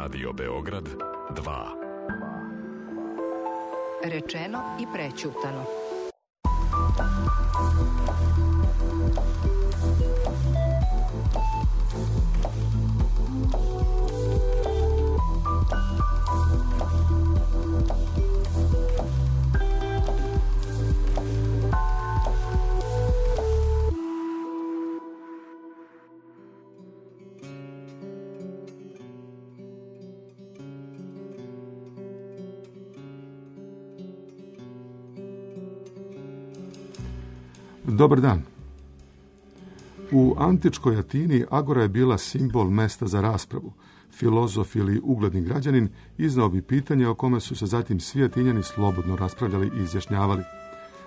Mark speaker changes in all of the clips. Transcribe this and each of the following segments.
Speaker 1: Radio Beograd 2.
Speaker 2: Rečeno i prećutano.
Speaker 3: Dobar dan. U antičkoj Atini agora je bila simbol mesta za raspravu. Filozof ili ugledni građanin iznao bi pitanje o kome su se zatim svi Atinjani slobodno raspravljali i izjašnjavali.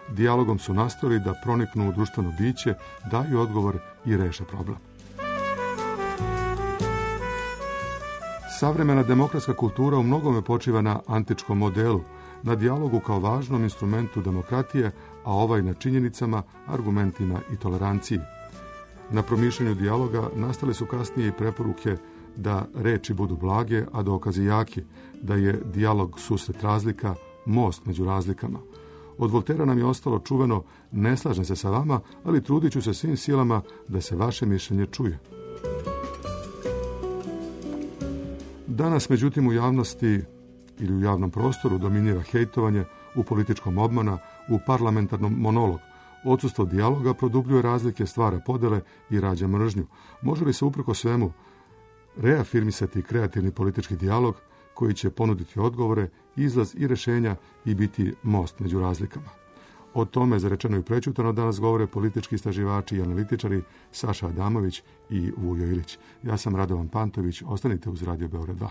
Speaker 3: Dijalogom su nastojali da proniknu u društveno biće, daju odgovor i reše problem. Savremena demokratska kultura u mnogome počiva na antičkom modelu, na dijalogu kao važnom instrumentu demokratije, a ovaj na činjenicama, argumentima i toleranciji. Na promišljanju dijaloga nastale su kasnije i preporuke da reči budu blage, a dokazi jaki, da je dijalog susret razlika, most među razlikama. Od Voltera nam je ostalo čuveno: ne slažem se sa vama, ali trudit ću se svim silama da se vaše mišljenje čuje. Danas, međutim, u javnosti ili u javnom prostoru dominira hejtovanje, u političkom obmana, u parlamentarnom monolog. Odsustvo dijaloga produbljuje razlike, stvara podele i rađa mržnju. Može li se uprko svemu reafirmisati kreativni politički dijalog koji će ponuditi odgovore, izlaz i rješenja i biti most među razlikama? O tome za rečeno i prećutano danas govore politički istraživači i analitičari Saša Adamović i Vujo Ilić. Ja sam Radovan Pantović, ostanite uz Radio Beograd 2.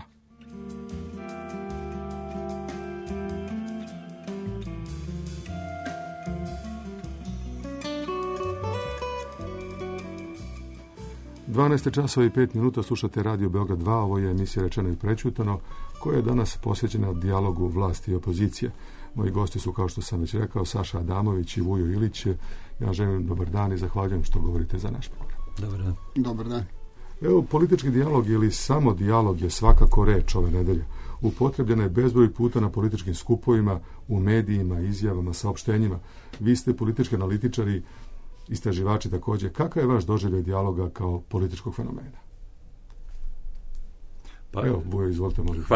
Speaker 3: časova i 5 minuta, slušate Radio Beograd 2, ovo je emisija Rečeno i prećutano, koja je danas posvećena dijalogu vlasti i opozicije. Moji gosti su, kao što sam već rekao, Saša Adamović i Vujo Ilić. Ja želim dobar dan i zahvaljujem što govorite za naš program.
Speaker 4: Dobar dan. Dobar dan.
Speaker 3: Evo, politički dijalog ili samo dijalog je svakako reč ove nedelje. Upotrebljena je bezbroj puta na političkim skupovima, u medijima, izjavama, saopštenjima. Vi ste politički analitičari, istraživači također. Kakav je vaš doživljaj dijaloga kao političkog fenomena?
Speaker 4: Pa,
Speaker 3: evo, Vujo, izvolite, možete.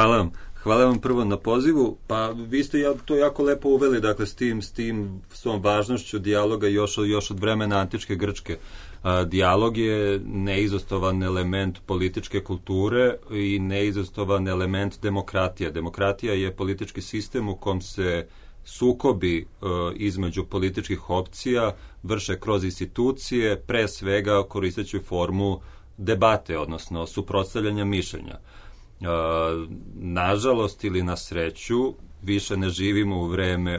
Speaker 4: Hvala vam prvo na pozivu. Pa vi ste to jako lepo uveli, dakle, s tom važnošću dijaloga još od vremena antičke Grčke. Dijalog je neizostavan element političke kulture i neizostavan element demokratije. Demokratija je politički sistem u kom se sukobi između političkih opcija vrše kroz institucije, pre svega koristeći formu debate, odnosno suprotstavljanja mišljenja. Nažalost ili na sreću, više ne živimo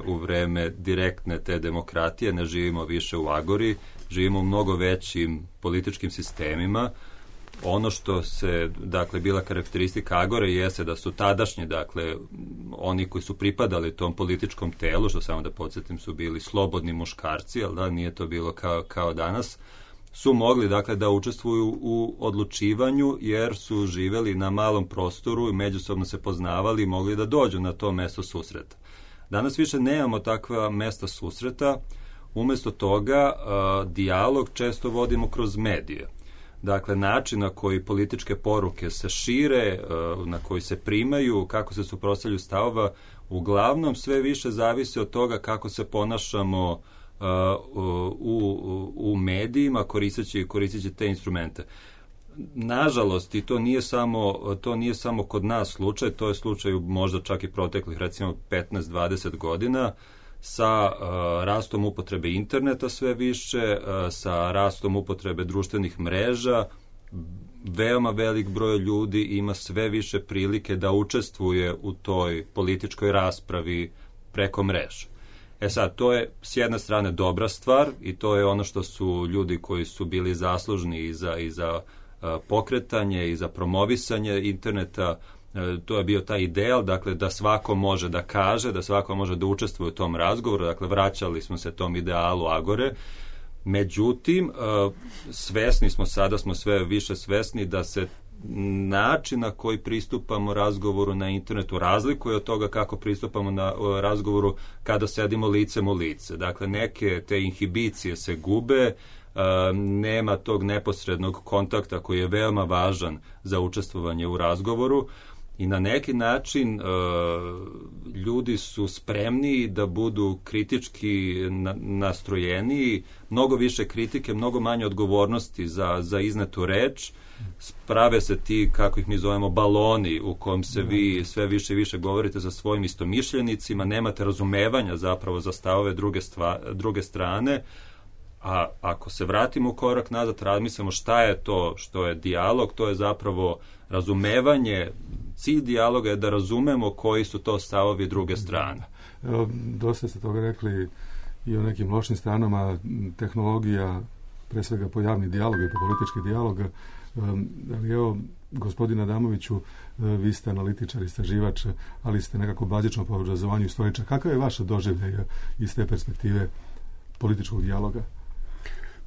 Speaker 4: u vreme direktne te demokratije, ne živimo više u agori, živimo u mnogo većim političkim sistemima. Ono što se, dakle, bila karakteristika agore jeste da su tadašnji, dakle, oni koji su pripadali tom političkom telu, što samo da podsjetim su bili slobodni muškarci, ali da, nije to bilo kao danas, su mogli, dakle, da učestvuju u odlučivanju jer su živeli na malom prostoru i međusobno se poznavali i mogli da dođu na to mesto susreta. Danas više nemamo takva mesta susreta, umjesto toga dijalog često vodimo kroz medije. Dakle, način na koji političke poruke se šire, na koji se primaju, kako se suprotstavljaju stavova, uglavnom sve više zavisi od toga kako se ponašamo u medijima koristeći te instrumente. Nažalost, i to nije samo kod nas slučaj, to je slučaj možda čak i proteklih recimo 15-20 godina, sa rastom upotrebe interneta sve više, sa rastom upotrebe društvenih mreža, veoma velik broj ljudi ima sve više prilike da učestvuje u toj političkoj raspravi preko mreža. Sad, to je s jedne strane dobra stvar i to je ono što su ljudi koji su bili zaslužni i za pokretanje i za promovisanje interneta, to je bio taj ideal, dakle, da svako može da kaže, da svako može da učestvuje u tom razgovoru, dakle, vraćali smo se tom idealu agore. Međutim, svesni smo, sada smo sve više svesni da se način na koji pristupamo razgovoru na internetu razlikuje od toga kako pristupamo na razgovoru kada sedimo licem u lice. Dakle, neke te inhibicije se gube, nema tog neposrednog kontakta koji je veoma važan za učestvovanje u razgovoru i na neki način ljudi su spremniji da budu kritički nastrojeniji, mnogo više kritike, mnogo manje odgovornosti za iznetu reč. Sprave se ti, kako ih mi zovemo, baloni u kom se vi sve više i više govorite sa svojim istomišljenicima, nemate razumevanja zapravo za stavove druge strane. A ako se vratimo u korak nazad, razmislimo šta je to što je dijalog, to je zapravo razumevanje. Cilj dijaloga je da razumemo koji su to stavovi druge strane.
Speaker 3: Dosta ste toga rekli i o nekim lošim stranama tehnologija, pre svega po javni dijalog i po politički dijalog. Ali evo, gospodine Adamoviću, vi ste analitičar, istraživač, ali ste nekako bazično po obrazovanju istoričar. Kakav je vaša doživljaj iz te perspektive političkog dijaloga?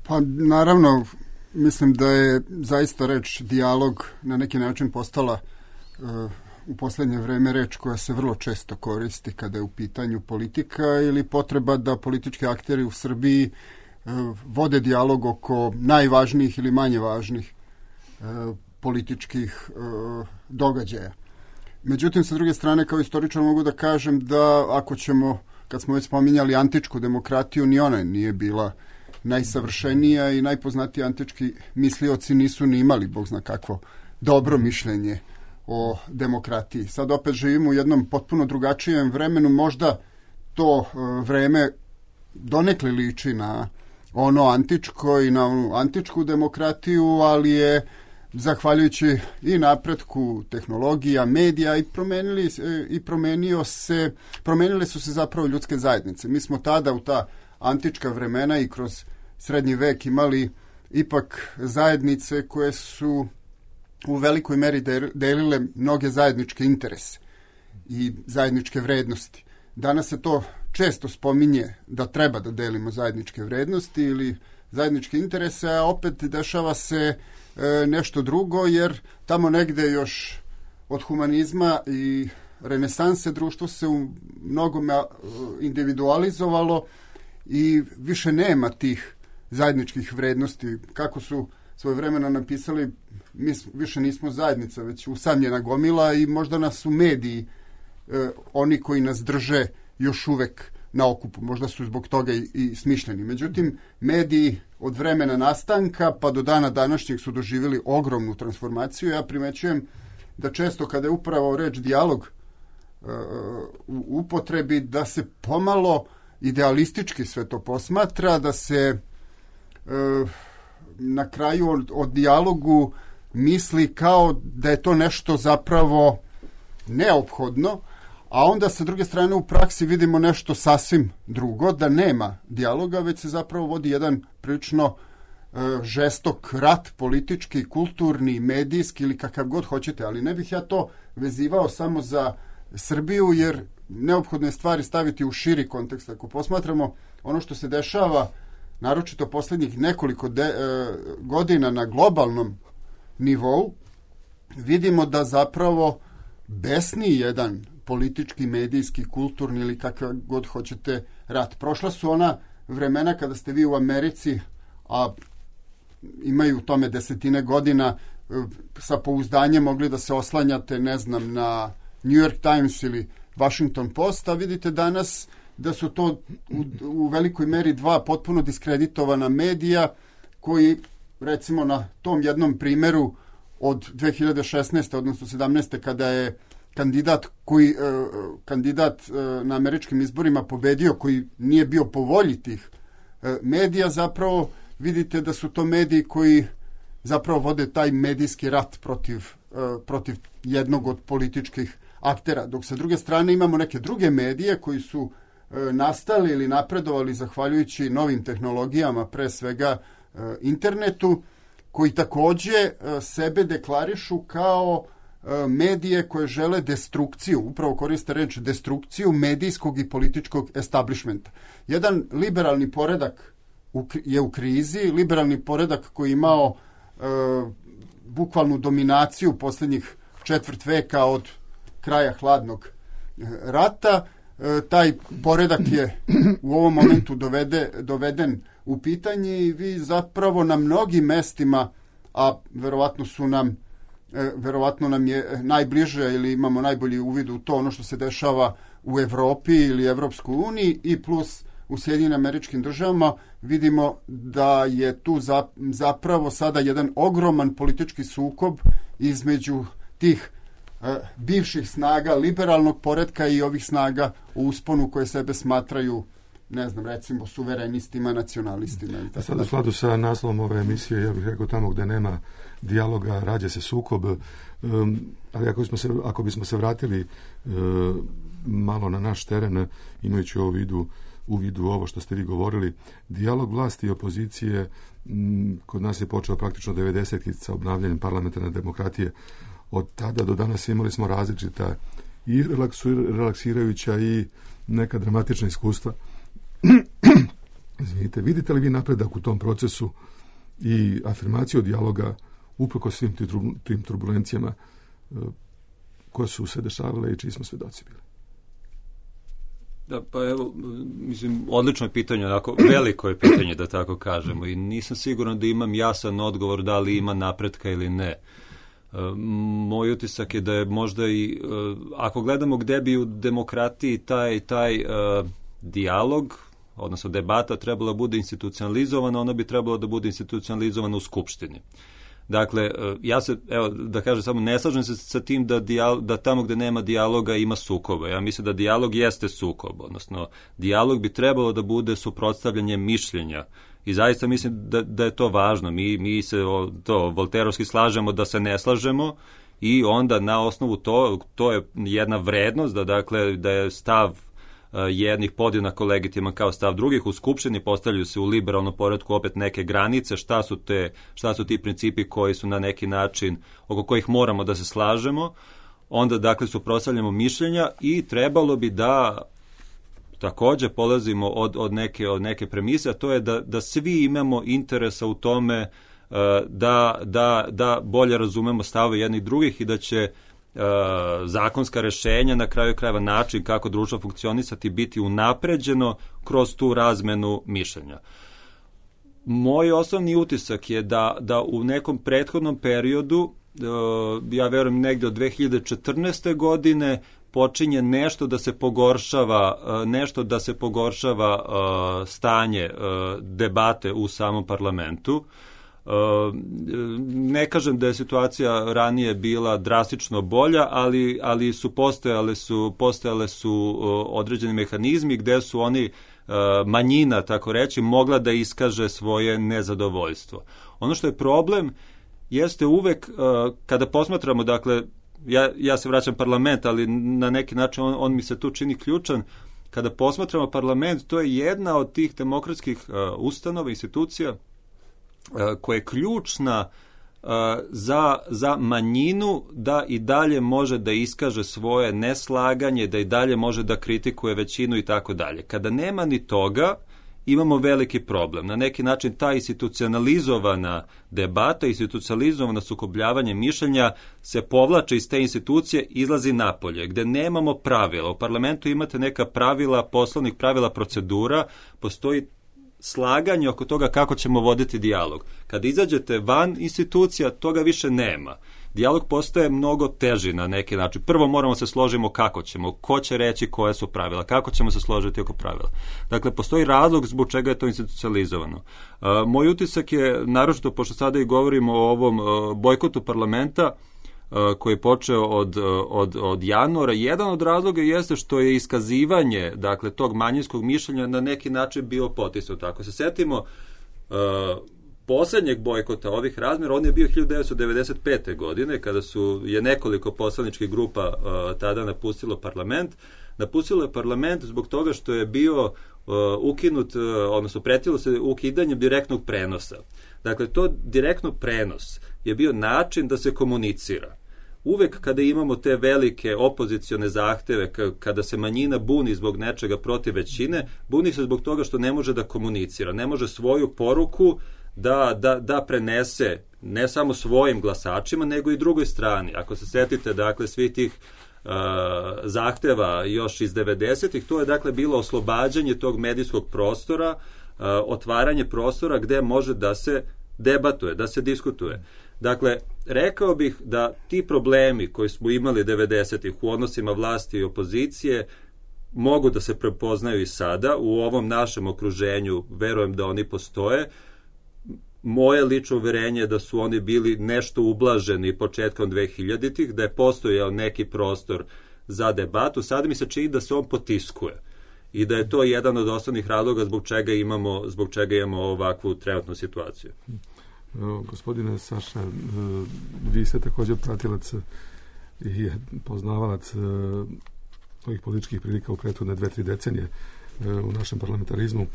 Speaker 5: Pa naravno, mislim da je zaista reč dijalog na neki način postala u posljednje vreme reč koja se vrlo često koristi kada je u pitanju politika ili potreba da politički akteri u Srbiji vode dijalog oko najvažnijih ili manje važnih političkih događaja. Međutim, sa druge strane, kao istoričar mogu da kažem da ako ćemo, kad smo već spominjali antičku demokratiju, ni ona nije bila najsavršenija i najpoznatiji antički mislioci nisu ni imali, Bog zna kakvo, dobro mišljenje o demokratiji. Sad opet živimo u jednom potpuno drugačijem vremenu, možda to vreme donekle liči na ono antičko i na onu antičku demokratiju, ali je zahvaljujući i napretku tehnologija, medija promenile su se zapravo ljudske zajednice. Mi smo tada u ta antička vremena i kroz srednji vek imali ipak zajednice koje su u velikoj meri delile mnoge zajedničke interese i zajedničke vrednosti. Danas se to često spominje da treba da delimo zajedničke vrednosti ili zajedničke interese, a opet dešava se nešto drugo, jer tamo negde još od humanizma i renesanse društvo se u mnogome individualizovalo i više nema tih zajedničkih vrednosti. Kako su svojevremeno napisali, mi više nismo zajednica, već usamljena gomila i možda nas su mediji oni koji nas drže još uvek na okupu. Možda su zbog toga i smišljeni. Međutim, mediji od vremena nastanka pa do dana današnjeg su doživjeli ogromnu transformaciju. Ja primećujem da često kada je upravo reč dijalog u upotrebi, da se pomalo idealistički sve to posmatra, da se na kraju o dijalogu misli kao da je to nešto zapravo neophodno, a onda sa druge strane u praksi vidimo nešto sasvim drugo, da nema dijaloga, već se zapravo vodi jedan prilično žestok rat, politički, kulturni, medijski ili kakav god hoćete, ali ne bih ja to vezivao samo za Srbiju, jer neophodno je stvari staviti u širi kontekst. Ako posmatramo ono što se dešava, naročito posljednjih nekoliko godina na globalnom nivou, vidimo da zapravo besni jedan politički, medijski, kulturni ili kakav god hoćete rat. Prošla su ona vremena kada ste vi u Americi, a imaju u tome desetine godina, sa pouzdanjem mogli da se oslanjate, ne znam, na New York Times ili Washington Post, a vidite danas da su to u velikoj meri dva potpuno diskreditovana medija koji, recimo na tom jednom primjeru od 2016. odnosno 17. kada je kandidat na američkim izborima pobedio, koji nije bio po volji tih medija, zapravo vidite da su to mediji koji zapravo vode taj medijski rat protiv jednog od političkih aktera. Dok sa druge strane imamo neke druge medije koji su nastali ili napredovali zahvaljujući novim tehnologijama, pre svega internetu, koji takođe sebe deklarišu kao medije koje žele destrukciju, upravo koriste reč destrukciju medijskog i političkog establishmenta. Jedan liberalni poredak je u krizi, liberalni poredak koji je imao bukvalnu dominaciju posljednjih četvrt veka od kraja hladnog rata. Taj poredak je u ovom momentu doveden u pitanje i vi zapravo na mnogim mestima, a verovatno nam je najbliže ili imamo najbolji uvid u to ono što se dešava u Evropi ili Evropskoj uniji i plus u Sjedinjenim Američkim Državama, vidimo da je tu zapravo sada jedan ogroman politički sukob između tih bivših snaga liberalnog poretka i ovih snaga u usponu koje sebe smatraju, ne znam, recimo suverenistima, nacionalistima.
Speaker 3: Sad u skladu sa naslovom ove emisije, ja bih rekao tamo gdje nema dijaloga, rađa se sukob, ali ako bismo se vratili malo na naš teren, imajući u vidu ovo što ste vi govorili, dijalog vlasti i opozicije kod nas je počeo praktično 90-ih sa obnavljanjem parlamentarne demokratije. Od tada do danas imali smo različita i relaksirajuća i neka dramatična iskustva. Izvinite, vidite li vi napredak u tom procesu i afirmaciju dijaloga uprkos svim tim turbulencijama koje su se dešavale i čiji smo svedoci bili?
Speaker 4: Da, pa evo, mislim, odlično je pitanje, onako, veliko je pitanje, da tako kažemo, i nisam siguran da imam jasan odgovor da li ima napretka ili ne. Moj utisak je da je možda i, ako gledamo gde bi u demokratiji taj dijalog, odnosno debata trebala bude institucionalizovana, ona bi trebala da bude institucionalizovana u Skupštini. Dakle, ja se, evo, da kažem samo, ne slažem se sa tim da tamo gde nema dijaloga ima sukoba. Ja mislim da dijalog jeste sukob, odnosno dijalog bi trebalo da bude suprotstavljanje mišljenja. I zaista mislim da je to važno. Mi se volterovski slažemo da se ne slažemo i onda na osnovu to je jedna vrednost, da je stav jednih podjednako legitiman kao stav drugih. U Skupštini postavljaju se u liberalnom poretku opet neke granice, šta su ti principi koji su na neki način, oko kojih moramo da se slažemo. Onda, dakle, suprotstavljamo mišljenja i trebalo bi da takođe polazimo od neke premise, a to je da svi imamo interesa u tome da bolje razumemo stavove jednih drugih i da će zakonska rešenja, na kraju krajeva način kako društvo funkcionisati, biti unapređeno kroz tu razmenu mišljenja. Moj osnovni utisak je da u nekom prethodnom periodu, ja verujem negde od 2014. godine, počinje nešto da se pogoršava stanje debate u samom parlamentu. Ne kažem da je situacija ranije bila drastično bolja, ali postojale su određeni mehanizmi gde su oni, manjina, tako reći, mogla da iskaže svoje nezadovoljstvo. Ono što je problem jeste uvek, kada posmatramo, dakle, ja se vraćam parlament, ali na neki način on mi se tu čini ključan. Kada posmatramo parlament, to je jedna od tih demokratskih ustanova, institucija, koja je ključna za manjinu da i dalje može da iskaže svoje neslaganje, da i dalje može da kritikuje većinu i tako dalje. Kada nema ni toga, imamo veliki problem. Na neki način ta institucionalizovana debata, institucionalizovano sukobljavanje mišljenja se povlače iz te institucije, izlazi napolje, gde nemamo pravila. U parlamentu imate neka pravila, poslovnik pravila, procedura, postoji slaganje oko toga kako ćemo voditi dijalog. Kada izađete van institucija, toga više nema. Dijalog postaje mnogo teži na neki način. Prvo moramo se složimo kako ćemo, ko će reći koje su pravila, kako ćemo se složiti oko pravila. Dakle, postoji razlog zbog čega je to institucionalizovano. Moj utisak je, naročito pošto sada i govorimo o ovom bojkotu parlamenta, koji je počeo od januara, jedan od razloga jeste što je iskazivanje, dakle, tog manjinskog mišljenja na neki način bio potisnuto. Ako se setimo poslednjeg bojkota ovih razmjera, on je bio 1995. godine, kada je nekoliko poslaničkih grupa tada napustilo parlament. Napustilo je parlament zbog toga što je bio ukinut, odnosno pretilo se ukidanjem direktnog prenosa. Dakle, to direktno prenos je bio način da se komunicira. Uvek kada imamo te velike opozicione zahteve, kada se manjina buni zbog nečega protiv većine, buni se zbog toga što ne može da komunicira, ne može svoju poruku da prenese ne samo svojim glasačima, nego i drugoj strani. Ako se setite, dakle, svih tih zahteva još iz 90-ih, to je, dakle, bilo oslobađanje tog medijskog prostora, otvaranje prostora gde može da se debatuje, da se diskutuje. Dakle, rekao bih da ti problemi koji smo imali 90-ih u odnosima vlasti i opozicije mogu da se prepoznaju i sada. U ovom našem okruženju verujem da oni postoje. Moje lično uverenje je da su oni bili nešto ublaženi početkom 2000-ih, da je postojao neki prostor za debatu. Sada mi se čini da se on potiskuje i da je to jedan od osnovnih razloga zbog čega imamo ovakvu trenutnu situaciju.
Speaker 3: Gospodine Saša, vi ste također pratilac i poznavalac ovih političkih prilika u prethodne 2-3 decenije u našem parlamentarizmu.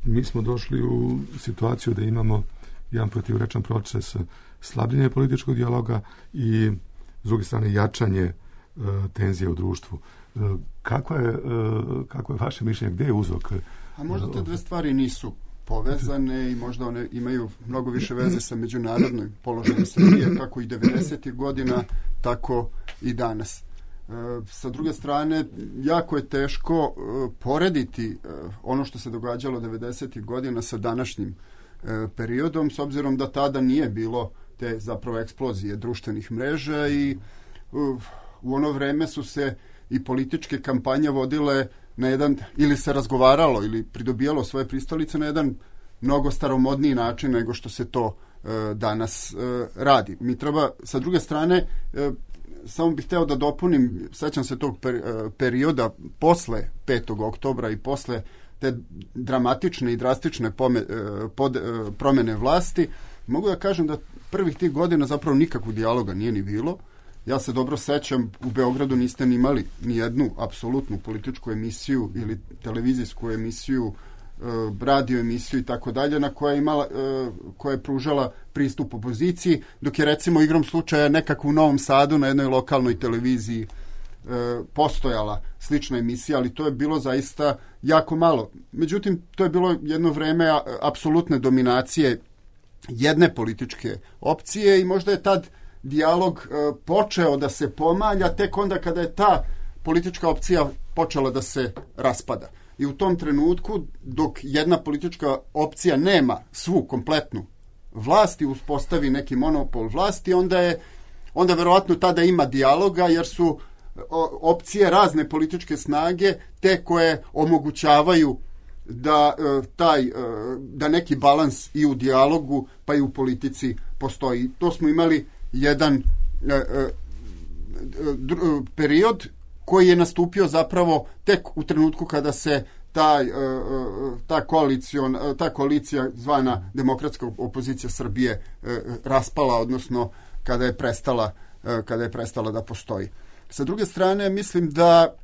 Speaker 3: Mi smo došli u situaciju da imamo jedan protivrečan proces slabljenja političkog dijaloga i s druge strane jačanje tenzije u društvu. Kako je vaše mišljenje? Gdje je uzrok?
Speaker 5: A možda te dve stvari nisu povezane i možda one imaju mnogo više veze sa međunarodnim položajem Srbije, kako i 90-ih godina, tako i danas. Sa druge strane, jako je teško porediti ono što se događalo 90-ih godina sa današnjim periodom, s obzirom da tada nije bilo te zapravo eksplozije društvenih mreža i u ono vreme su se i političke kampanje vodile na jedan, ili se razgovaralo ili pridobijalo svoje pristalice na jedan mnogo staromodniji način nego što se to danas radi. Mi treba, sa druge strane, samo bih hteo da dopunim, sećam se tog perioda posle 5. oktobra i posle te dramatične i drastične promene vlasti, mogu da kažem da prvih tih godina zapravo nikakvog dijaloga nije ni bilo. Ja se dobro sećam, u Beogradu niste ni imali ni jednu apsolutnu političku emisiju ili televizijsku emisiju, radio emisiju i tako dalje, na koja je pružala pristup opoziciji, dok je recimo igrom slučaja nekako u Novom Sadu na jednoj lokalnoj televiziji postojala slična emisija, ali to je bilo zaista jako malo. Međutim, to je bilo jedno vreme apsolutne dominacije jedne političke opcije i možda je tad dijalog počeo da se pomalja tek onda kada je ta politička opcija počela da se raspada. I u tom trenutku, dok jedna politička opcija nema svu kompletnu vlast i uspostavi neki monopol vlasti, onda verovatno tada ima dijaloga, jer su opcije razne političke snage te koje omogućavaju da neki balans i u dijalogu pa i u politici postoji. To smo imali jedan period koji je nastupio zapravo tek u trenutku kada se ta koalicija zvana Demokratska opozicija Srbije raspala, odnosno kada je prestala da postoji. Sa druge strane, mislim da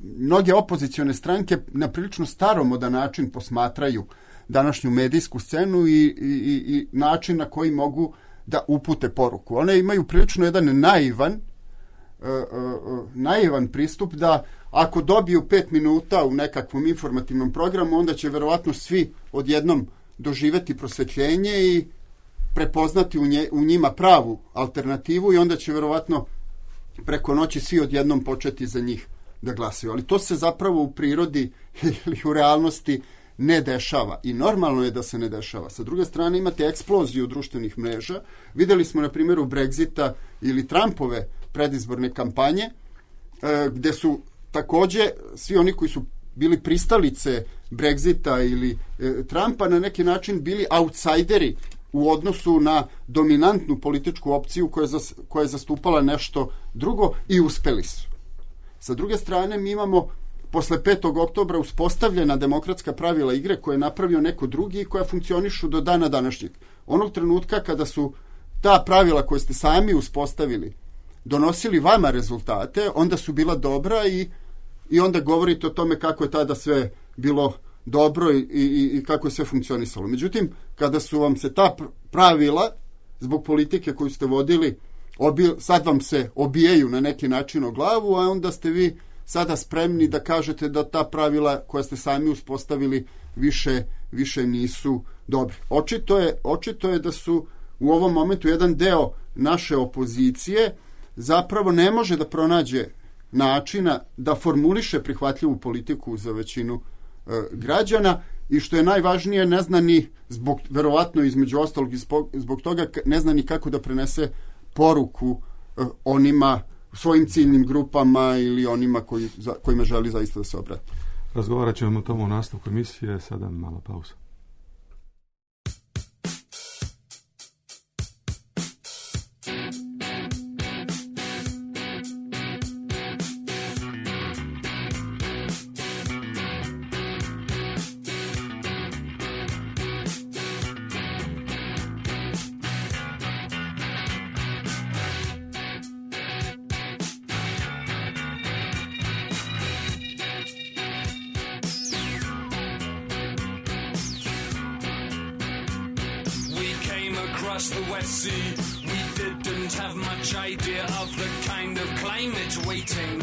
Speaker 5: mnoge opozicione stranke na prilično staromodan način posmatraju današnju medijsku scenu i način na koji mogu da upute poruku. One imaju prilično jedan naivan pristup da ako dobiju 5 minuta u nekakvom informativnom programu, onda će verovatno svi odjednom doživeti prosvetljenje i prepoznati u njima pravu alternativu i onda će verovatno preko noći svi odjednom početi za njih da glasaju. Ali to se zapravo u prirodi ili u realnosti ne dešava i normalno je da se ne dešava. Sa druge strane imate eksploziju društvenih mreža. Videli smo na primjeru Brexita ili Trumpove predizborne kampanje, gde su takođe svi oni koji su bili pristalice Brexita ili Trumpa na neki način bili outsideri u odnosu na dominantnu političku opciju koja je zastupala nešto drugo i uspeli su. Sa druge strane, mi imamo posle 5. oktobra uspostavljena demokratska pravila igre koje je napravio neko drugi i koja funkcionišu do dana današnjeg. Onog trenutka kada su ta pravila koje ste sami uspostavili donosili vama rezultate, onda su bila dobra i onda govorite o tome kako je tada sve bilo dobro i kako je sve funkcionisalo. Međutim, kada su vam se ta pravila zbog politike koju ste vodili sad vam se obijaju na neki način o glavu, a onda ste vi sada spremni da kažete da ta pravila koja ste sami uspostavili više dobri. Očito je da su u ovom momentu jedan deo naše opozicije zapravo ne može da pronađe načina da formuliše prihvatljivu politiku za većinu građana i što je najvažnije, ne zna ni verovatno između ostalog zbog toga ne zna ni kako da prenese poruku onima, svojim ciljnim grupama ili onima kojima želi zaista da se obrati.
Speaker 3: Razgovarat ćemo o tomu u nastavku emisije, sada mala pauza.
Speaker 6: The West Sea, we didn't have much idea of the kind of climate waiting.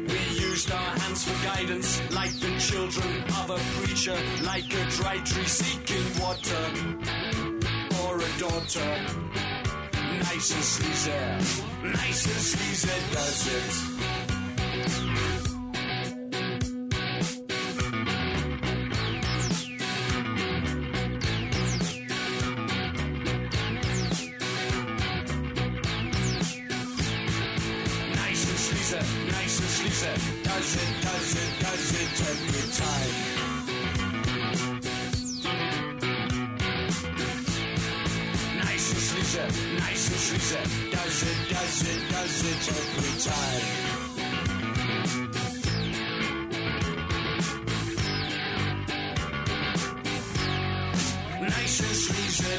Speaker 6: We used our hands for guidance, like the children of a preacher, like a dry tree seeking water, or a daughter. Nice and sleazy does it. Does it every time. Nice and sleazy, does it every time. Nice and sleazy,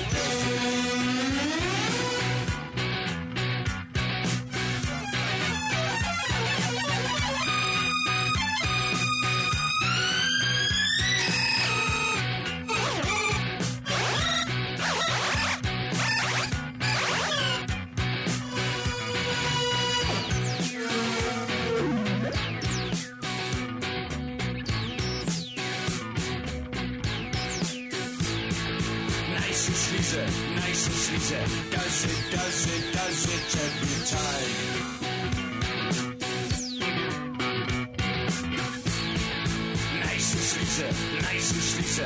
Speaker 6: does it. Does it every time. Nice and sleazy,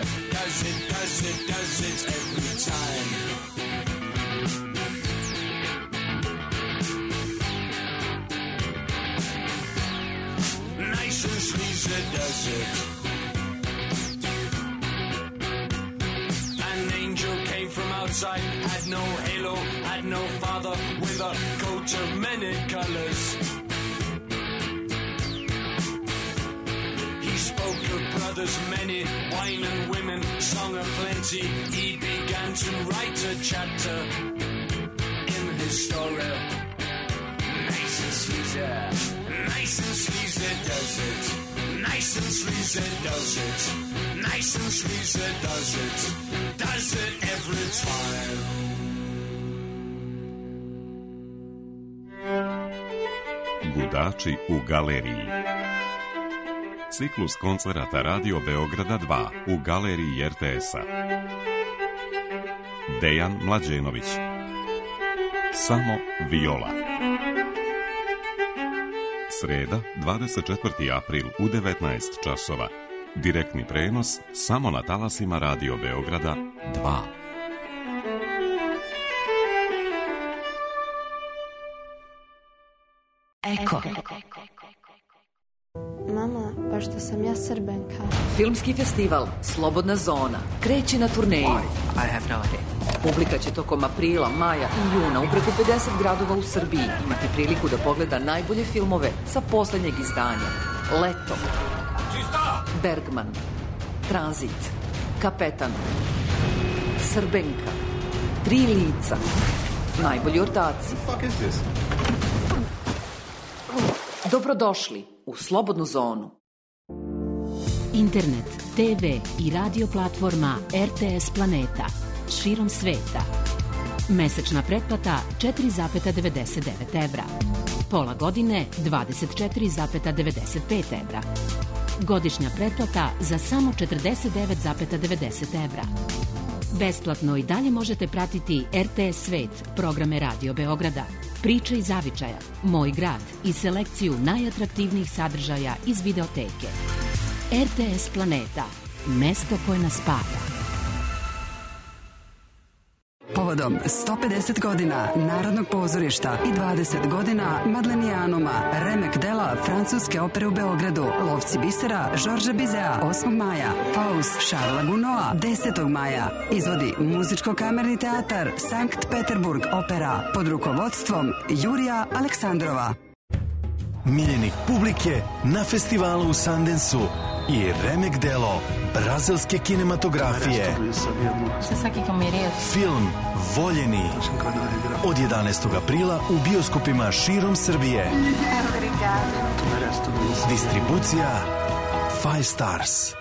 Speaker 6: does it every time. Nice and sleazy does it. An angel came from outside, had no halo, had no father, with a coat of many colors. He spoke of brothers many, wine and women, song of plenty. He began to write a chapter in his story. Nice and sleazy does it. Nice and sleazy does it. Nice and sleazy does it. Does it every time.
Speaker 1: Gudači u galeriji. Ciklus koncerata Radio Beograda 2 u galeriji RTS-a. Dejan Mlađenović. Samo viola. Sreda, 24. april u 19 časova. Direktni prenos samo na talasima Radio Beograda 2.
Speaker 2: Eko.
Speaker 7: Mama, pa što sam ja Srbenka.
Speaker 2: Filmski festival Slobodna zona kreće na turneju. I have no idea. Publika će tokom aprila, maja i juna u preko 50 gradova u Srbiji imati priliku da pogleda najbolje filmove sa poslednjeg izdanja. Leto, Bergman, Tranzit, Kapetan, Srbenka, Tri lica, Najbolji ortaci. Dobrodošli u Slobodnu zonu.
Speaker 8: Internet, TV i radio platforma RTS Planeta širom sveta. Mesečna pretplata 4,99 evra. Pola godine 24,95 evra. Godišnja pretplata za samo 49,90 evra. Besplatno i dalje možete pratiti RTS Svet, programe Radio Beograda, Priče iz zavičaja, Moj grad i selekciju najatraktivnijih sadržaja iz videoteke. RTS Planeta, mesto koje nas spaja.
Speaker 9: Povodom 150 godina Narodnog pozorišta i 20 godina Madlenijanuma, remek dela francuske opere u Beogradu, Lovci bisera Žorža Bizea 8. maja, Faust Šarla Gunoa 10. maja, izvodi Muzičko-kamerni teatar Sankt Peterburg opera pod rukovodstvom Jurija Aleksandrova.
Speaker 10: Miljenik publike na festivalu u Sundanceu i remek delo brazilske kinematografije. Film Voljeni od 11. aprila u bioskopima širom Srbije. Distribucija Five Stars.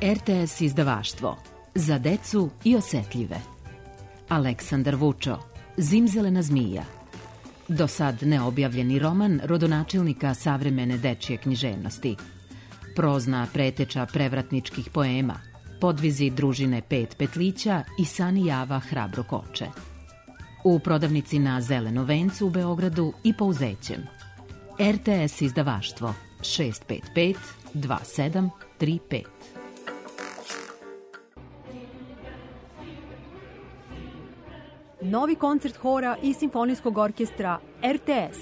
Speaker 8: RTS izdavaštvo za decu i osetljive. Aleksandar Vučo, Zimzelena zmija. Do sad neobjavljeni roman rodonačelnika savremene dečje književnosti. Prozna preteča prevratničkih poema, podvizi družine Pet petlića i Sani Java Hrabro koče. U prodavnici na Zelenom vencu u Beogradu i Pouzećem. RTS izdavaštvo 655 2735.
Speaker 11: Novi koncert hora i simfonijskog orkestra RTS.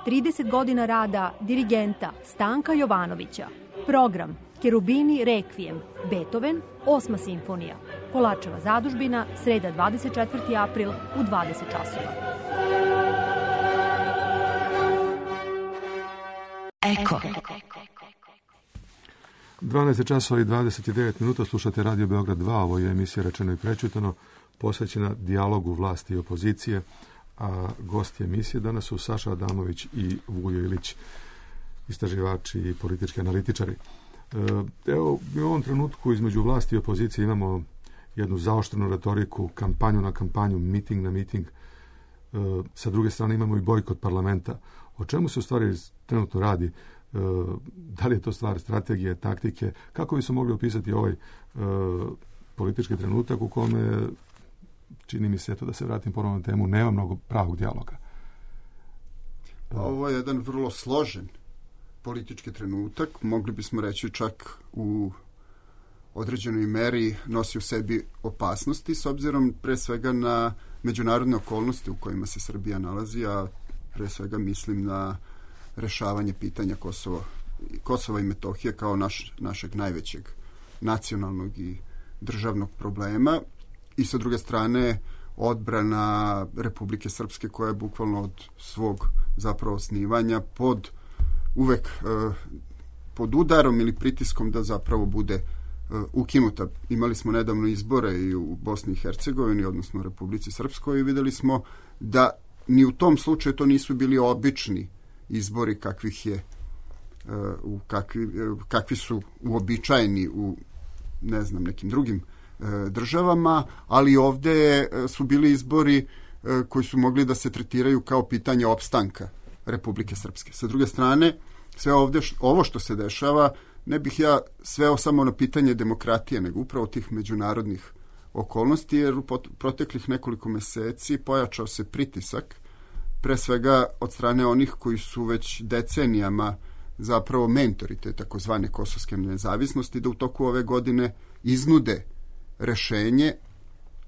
Speaker 11: 30 godina rada dirigenta Stanka Jovanovića. Program Kerubini Rekvijem, Beethoven, 8. simfonija. Polačeva zadužbina, sreda 24. april u 20 časova.
Speaker 9: Eko.
Speaker 3: 12 časova i 29 minuta, slušate Radio Beograd 2, ovo je emisija Rečeno i prečutano, posvećena dijalogu vlasti i opozicije, a gosti emisije danas su Saša Adamović i Vujo Ilić, istraživači i politički analitičari. Evo, u ovom trenutku između vlasti i opozicije imamo jednu zaoštrenu retoriku, kampanju na kampanju, miting na miting. Sa druge strane imamo i bojkot parlamenta. O čemu se u stvari trenutno radi? Da li je to stvar strategije, taktike? Kako bi se mogli opisati ovaj politički trenutak u kome, čini mi se, da se vratim ponovno na temu, nema mnogo pravog dijaloga?
Speaker 5: Ovo je jedan vrlo složen politički trenutak, mogli bismo reći čak u određenoj meri nosi u sebi opasnosti, s obzirom pre svega na međunarodne okolnosti u kojima se Srbija nalazi, a pre svega mislim na rešavanje pitanja Kosova i Metohije kao našeg najvećeg nacionalnog i državnog problema, i sa druge strane odbrana Republike Srpske, koja je bukvalno od svog zapravo osnivanja uvek pod udarom ili pritiskom da zapravo bude ukinuta. Imali smo nedavno izbore i u Bosni i Hercegovini, odnosno u Republici Srpskoj, i videli smo da ni u tom slučaju to nisu bili obični izbori kakvi su uobičajeni u nekim drugim državama, ali ovde su bili izbori koji su mogli da se tretiraju kao pitanje opstanka Republike Srpske. Sa druge strane, sve ovo što se dešava, ne bih ja sveo samo na pitanje demokratije, nego upravo tih međunarodnih okolnosti, jer u proteklih nekoliko meseci pojačao se pritisak, pre svega od strane onih koji su već decenijama zapravo mentori te takozvane kosovske nezavisnosti, da u toku ove godine iznude rešenje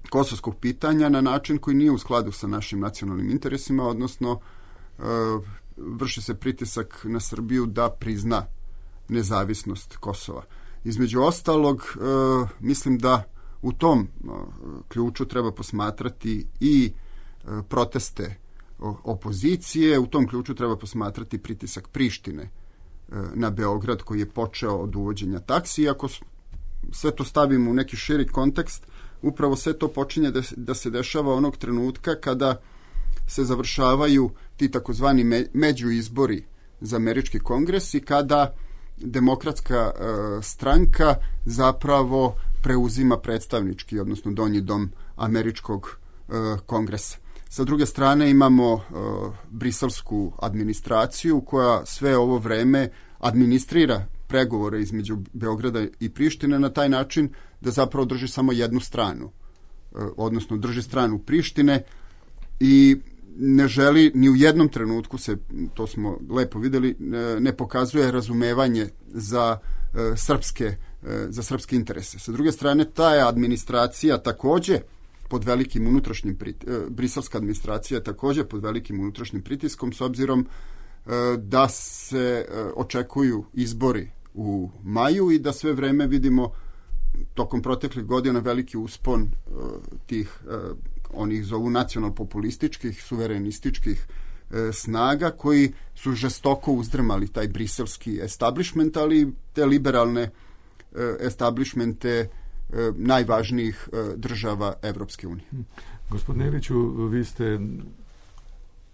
Speaker 5: kosovskog pitanja na način koji nije u skladu sa našim nacionalnim interesima, odnosno vrši se pritisak na Srbiju da prizna nezavisnost Kosova. Između ostalog, mislim da u tom ključu treba posmatrati i proteste opozicije, u tom ključu treba posmatrati pritisak Prištine na Beograd, koji je počeo od uvođenja taksi. Ako sve to stavimo u neki širi kontekst, upravo sve to počinje da se dešava onog trenutka kada se završavaju ti takozvani međuizbori za američki kongres i kada demokratska stranka zapravo preuzima predstavnički, odnosno donji dom američkog kongresa. Sa druge strane imamo briselsku administraciju koja sve ovo vreme administrira pregovore između Beograda i Prištine na taj način da zapravo drži samo jednu stranu, odnosno drži stranu Prištine i ne želi ni u jednom trenutku se, to smo lepo videli, ne pokazuje razumevanje za srpske interese. Sa druge strane, ta je administracija takođe pod velikim unutrašnjim briselska administracija je takođe pod velikim unutrašnjim pritiskom s obzirom da se očekuju izbori u maju i da sve vreme vidimo tokom proteklih godina veliki uspon tih onih zovu nacionalpopulističkih, suverenističkih snaga koji su žestoko uzdrmali taj briselski establishment, ali te liberalne establishmente najvažnijih država Evropske unije.
Speaker 3: Gospodine Iliću, vi ste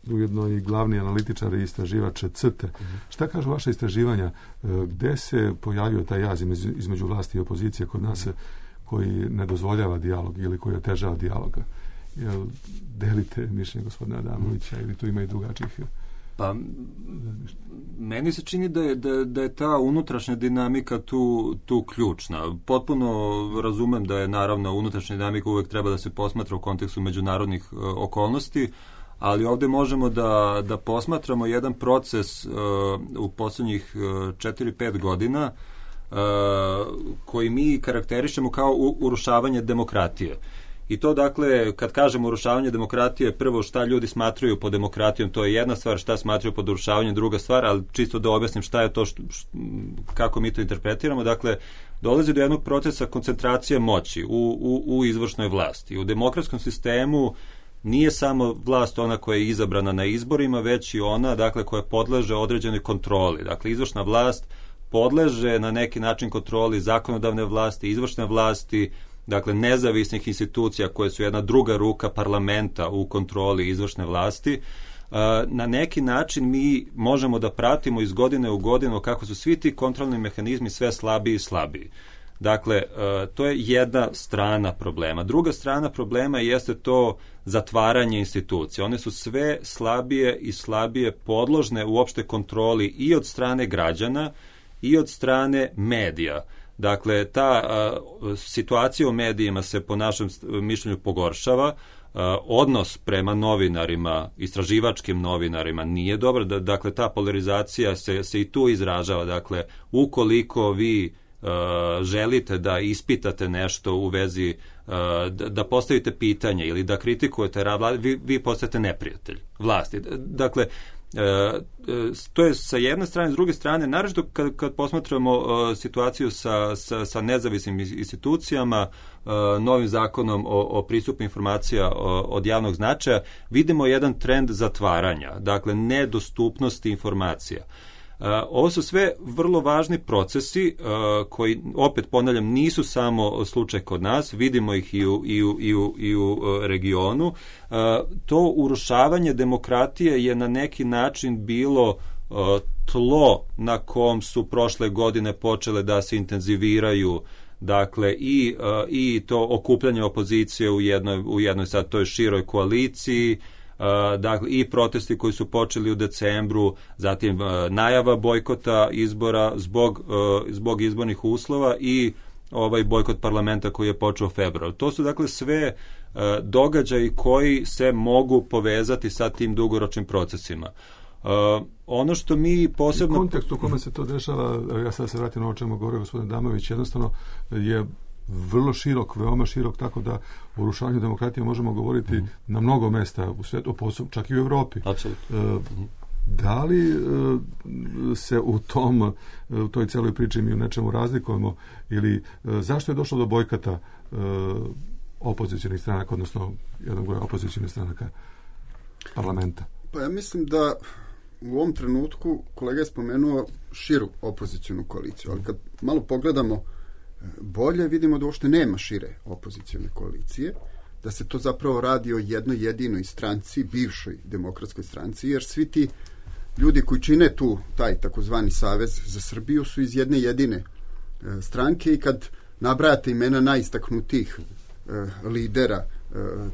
Speaker 3: ujedno i glavni analitičar i istraživač CRTE. Šta kažu vaše istraživanja? Gde se pojavio taj jaz između vlasti i opozicije kod nas koji ne dozvoljava dijalog ili koji otežava dijaloga? Jel delite mišljenje gospodina Adamovića ili tu ima i drugačijih?
Speaker 4: Pa, meni se čini da je ta unutrašnja dinamika tu ključna. Potpuno razumem da je naravno unutrašnja dinamika uvek treba da se posmatra u kontekstu međunarodnih okolnosti, ali ovde možemo da posmatramo jedan proces u poslednjih 4-5 godina koji mi karakterišemo kao urušavanje demokratije. I to dakle, kad kažemo urušavanje demokratije, prvo šta ljudi smatraju pod demokratijom, to je jedna stvar, šta smatraju pod urušavanjem, druga stvar, ali čisto da objasnim šta je to, kako mi to interpretiramo. Dakle, dolazi do jednog procesa koncentracije moći u izvršnoj vlasti. U demokratskom sistemu nije samo vlast ona koja je izabrana na izborima, već i ona, dakle, koja podleže određenoj kontroli. Dakle, izvršna vlast podleže na neki način kontroli zakonodavne vlasti, izvršne vlasti, dakle, nezavisnih institucija koje su jedna druga ruka parlamenta u kontroli izvršne vlasti. Na neki način mi možemo da pratimo iz godine u godinu kako su svi ti kontrolni mehanizmi sve slabiji i slabiji. Dakle, to je jedna strana problema. Druga strana problema jeste to zatvaranje institucija. One su sve slabije i slabije podložne uopšte kontroli i od strane građana i od strane medija. Dakle, ta situacija u medijima se po našem mišljenju pogoršava, odnos prema novinarima, istraživačkim novinarima nije dobro, dakle, ta polarizacija se i tu izražava, dakle, ukoliko vi želite da ispitate nešto u vezi, da postavite pitanje ili da kritikujete rad vlade, vi postajete neprijatelj vlasti. Dakle, to je sa jedne strane, s druge strane, naročito kad posmatramo situaciju sa nezavisnim institucijama, novim zakonom o pristupu informacija od javnog značaja, vidimo jedan trend zatvaranja, dakle nedostupnosti informacija. Ovo su sve vrlo važni procesi koji, opet ponavljam, nisu samo slučaj kod nas, vidimo ih i u regionu. To urušavanje demokratije je na neki način bilo tlo na kom su prošle godine počele da se intenziviraju, dakle, i to okupljanje opozicije u jednoj sad toj široj koaliciji, dakle, i protesti koji su počeli u decembru, zatim najava bojkota izbora zbog izbornih uslova i ovaj bojkot parlamenta koji je počeo u februaru. To su dakle sve događaji koji se mogu povezati sa tim dugoročnim procesima. Ono što mi posebno...
Speaker 3: U kontekstu u kome se to dešava, ja sad se vratim na ovo čemu govorio gospodin Damović, jednostavno je vrlo širok, veoma širok, tako da o urušavanju demokratije možemo govoriti na mnogo mesta u svijetu, čak i u Evropi. Da li se u toj celoj priči mi u nečemu razlikujemo ili zašto je došlo do bojkota opozicionih stranaka, odnosno jednog broja opozicionih stranaka parlamenta?
Speaker 5: Pa ja mislim da u ovom trenutku kolega je spomenuo širu opozicionu koaliciju, ali kad malo pogledamo bolje, vidimo da uopšte nema šire opozicione koalicije, da se to zapravo radi o jednoj jedinoj stranci, bivšoj demokratskoj stranci, jer svi ti ljudi koji čine taj takozvani Savez za Srbiju su iz jedne jedine stranke i kad nabrajate imena najistaknutijih lidera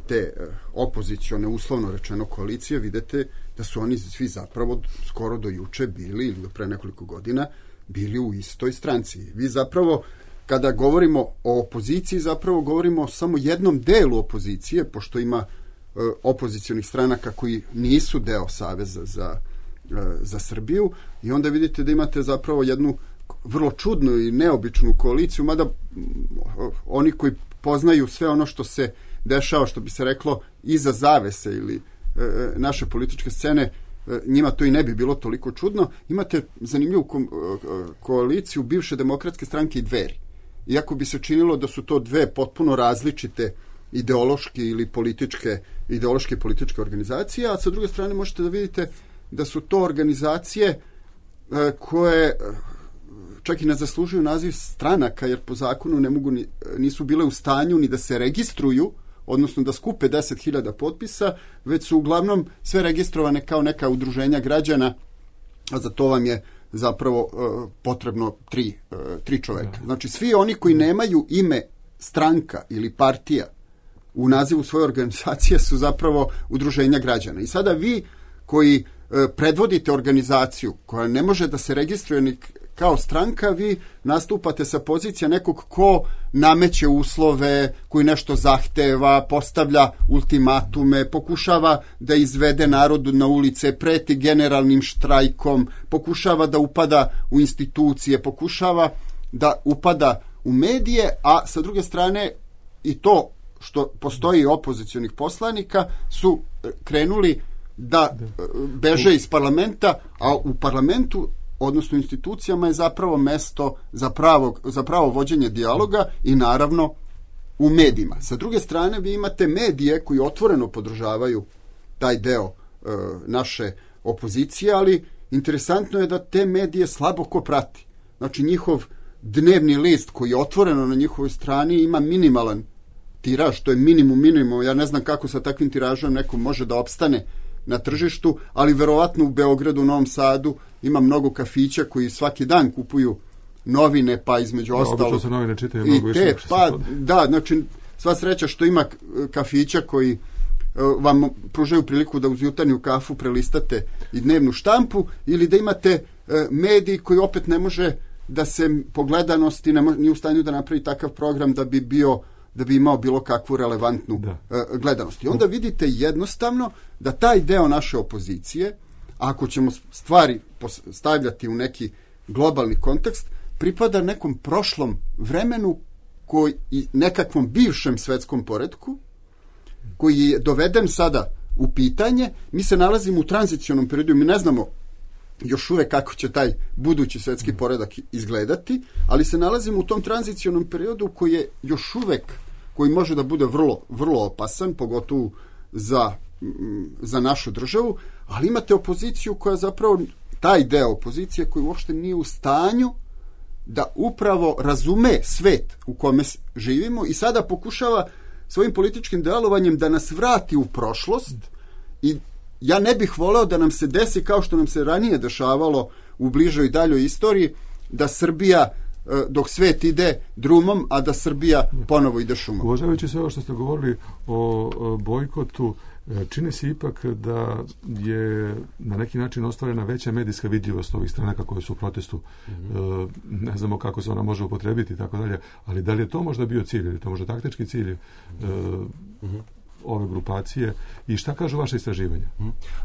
Speaker 5: te opozicione, uslovno rečeno, koalicije, vidite da su oni svi zapravo skoro do juče bili, ili do pre nekoliko godina, bili u istoj stranci. Vi zapravo, kada govorimo o opoziciji, zapravo govorimo o samo jednom delu opozicije, pošto ima opozicionih stranaka koji nisu deo Saveza za Srbiju, i onda vidite da imate zapravo jednu vrlo čudnu i neobičnu koaliciju, mada oni koji poznaju sve ono što se dešava, što bi se reklo, iza zavese ili naše političke scene, njima to i ne bi bilo toliko čudno. Imate zanimljivu koaliciju bivše Demokratske stranke i Dveri. Iako bi se činilo da su to dve potpuno različite ideološke ili političke organizacije, a sa druge strane možete da vidite da su to organizacije koje čak i ne zaslužuju naziv stranaka, jer po zakonu nisu bile u stanju ni da se registruju, odnosno da skupe 10.000 potpisa, već su uglavnom sve registrovane kao neka udruženja građana, a za to vam je zapravo potrebno tri čoveka. Znači, svi oni koji nemaju ime stranka ili partija u nazivu svoje organizacije su zapravo udruženja građana. I sada vi koji predvodite organizaciju koja ne može da se registruje ni kao stranka, vi nastupate sa pozicija nekog ko nameće uslove, koji nešto zahteva, postavlja ultimatume, pokušava da izvede narodu na ulice, preti generalnim štrajkom, pokušava da upada u institucije, pokušava da upada u medije, a sa druge strane i to što postoji opozicionih poslanika su krenuli da beže iz parlamenta, a u parlamentu, odnosno institucijama, je zapravo mesto za pravo vođenje dijaloga i naravno u medijima. Sa druge strane, vi imate medije koji otvoreno podržavaju taj deo naše opozicije, ali interesantno je da te medije slabo ko prati. Znači, njihov dnevni list koji je otvoreno na njihovoj strani ima minimalan tiraž, to je minimum. Ja ne znam kako sa takvim tiražom neko može da opstane na tržištu, ali verovatno u Beogradu, u Novom Sadu ima mnogo kafića koji svaki dan kupuju novine, pa između ostalo...
Speaker 3: Obično se novine čitaju mnogo više.
Speaker 5: Da, znači, sva sreća što ima kafića koji vam pružaju priliku da uz jutarnju kafu prelistate i dnevnu štampu, ili da imate mediji koji opet ne može da se po gledanosti nije u stanju da napravi takav program da bi imao bilo kakvu relevantnu gledanost. I onda vidite jednostavno da taj deo naše opozicije, ako ćemo stvari stavljati u neki globalni kontekst, pripada nekom prošlom vremenu i nekakvom bivšem svetskom poretku, koji je doveden sada u pitanje. Mi se nalazimo u tranzicionom periodu, mi ne znamo još uvek kako će taj budući svetski poredak izgledati, ali se nalazimo u tom tranzicionom periodu koji je još uvek, koji može da bude vrlo, vrlo opasan, pogotovo za našu državu, ali imate opoziciju koja zapravo, taj deo opozicije koji uopšte nije u stanju da upravo razume svet u kome živimo i sada pokušava svojim političkim delovanjem da nas vrati u prošlost. I ja ne bih voleo da nam se desi kao što nam se ranije dešavalo u bližoj i daljoj istoriji, da Srbija dok svet ide drumom, a da Srbija ponovo ide šumom.
Speaker 3: Uvažavajući sve ovo što ste govorili o bojkotu, čini se ipak da je na neki način ostvarena veća medijska vidljivost ovih stranaka koje su u protestu. Ne znamo kako se ona može upotrebiti i tako dalje, ali da li je to možda bio cilj, ili to možda taktički cilj ove grupacije, i šta kažu vaše istraživanja?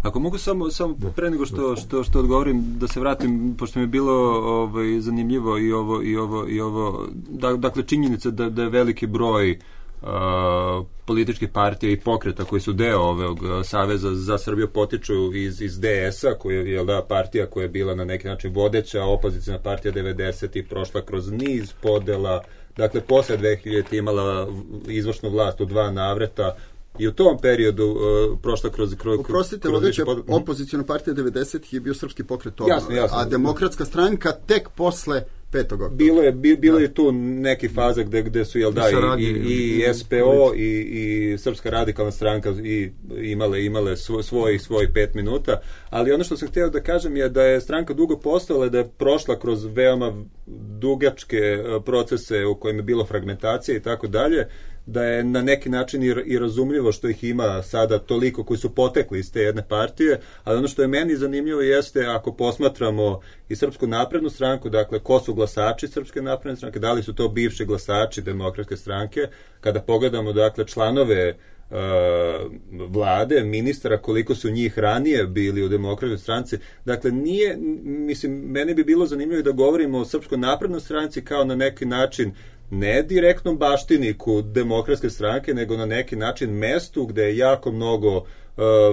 Speaker 4: Ako mogu samo pre nego što odgovorim, da se vratim, pošto mi je bilo zanimljivo i ovo, dakle činjenica da je veliki broj političkih partija i pokreta koji su deo ovog Saveza za Srbiju potiču iz DS-a, koja je partija koja je bila na neki način vodeća opozicijna partija 90-ih, prošla kroz niz podela, dakle posle 2000 imala izvršnu vlast u 2 navrata i u tom periodu prošla kroz...
Speaker 5: Oprostite, vodeća opozicijna partija 90-ih je bio Srpski pokret obnove, a Demokratska stranka tek posle 5. oktobra.
Speaker 4: Bilo je tu neki faza gde su i SPO i Srpska radikalna stranka imale svoj 5 minuta, ali ono što sam htio da kažem je da je stranka dugo postojala, da je prošla kroz veoma dugačke procese u kojima je bilo fragmentacija i tako dalje, da je na neki način i razumljivo što ih ima sada toliko koji su potekli iz te jedne partije, ali ono što je meni zanimljivo jeste ako posmatramo i Srpsku naprednu stranku, dakle ko su glasači Srpske napredne stranke, da li su to bivši glasači Demokratske stranke, kada pogledamo dakle članove vlade, ministara, koliko su njih ranije bili u Demokratskoj stranci. Dakle, nije, mislim, meni bi bilo zanimljivo da govorimo o Srpskoj naprednoj stranci kao na neki način ne direktnom baštiniku Demokratske stranke, nego na neki način mestu gde je jako mnogo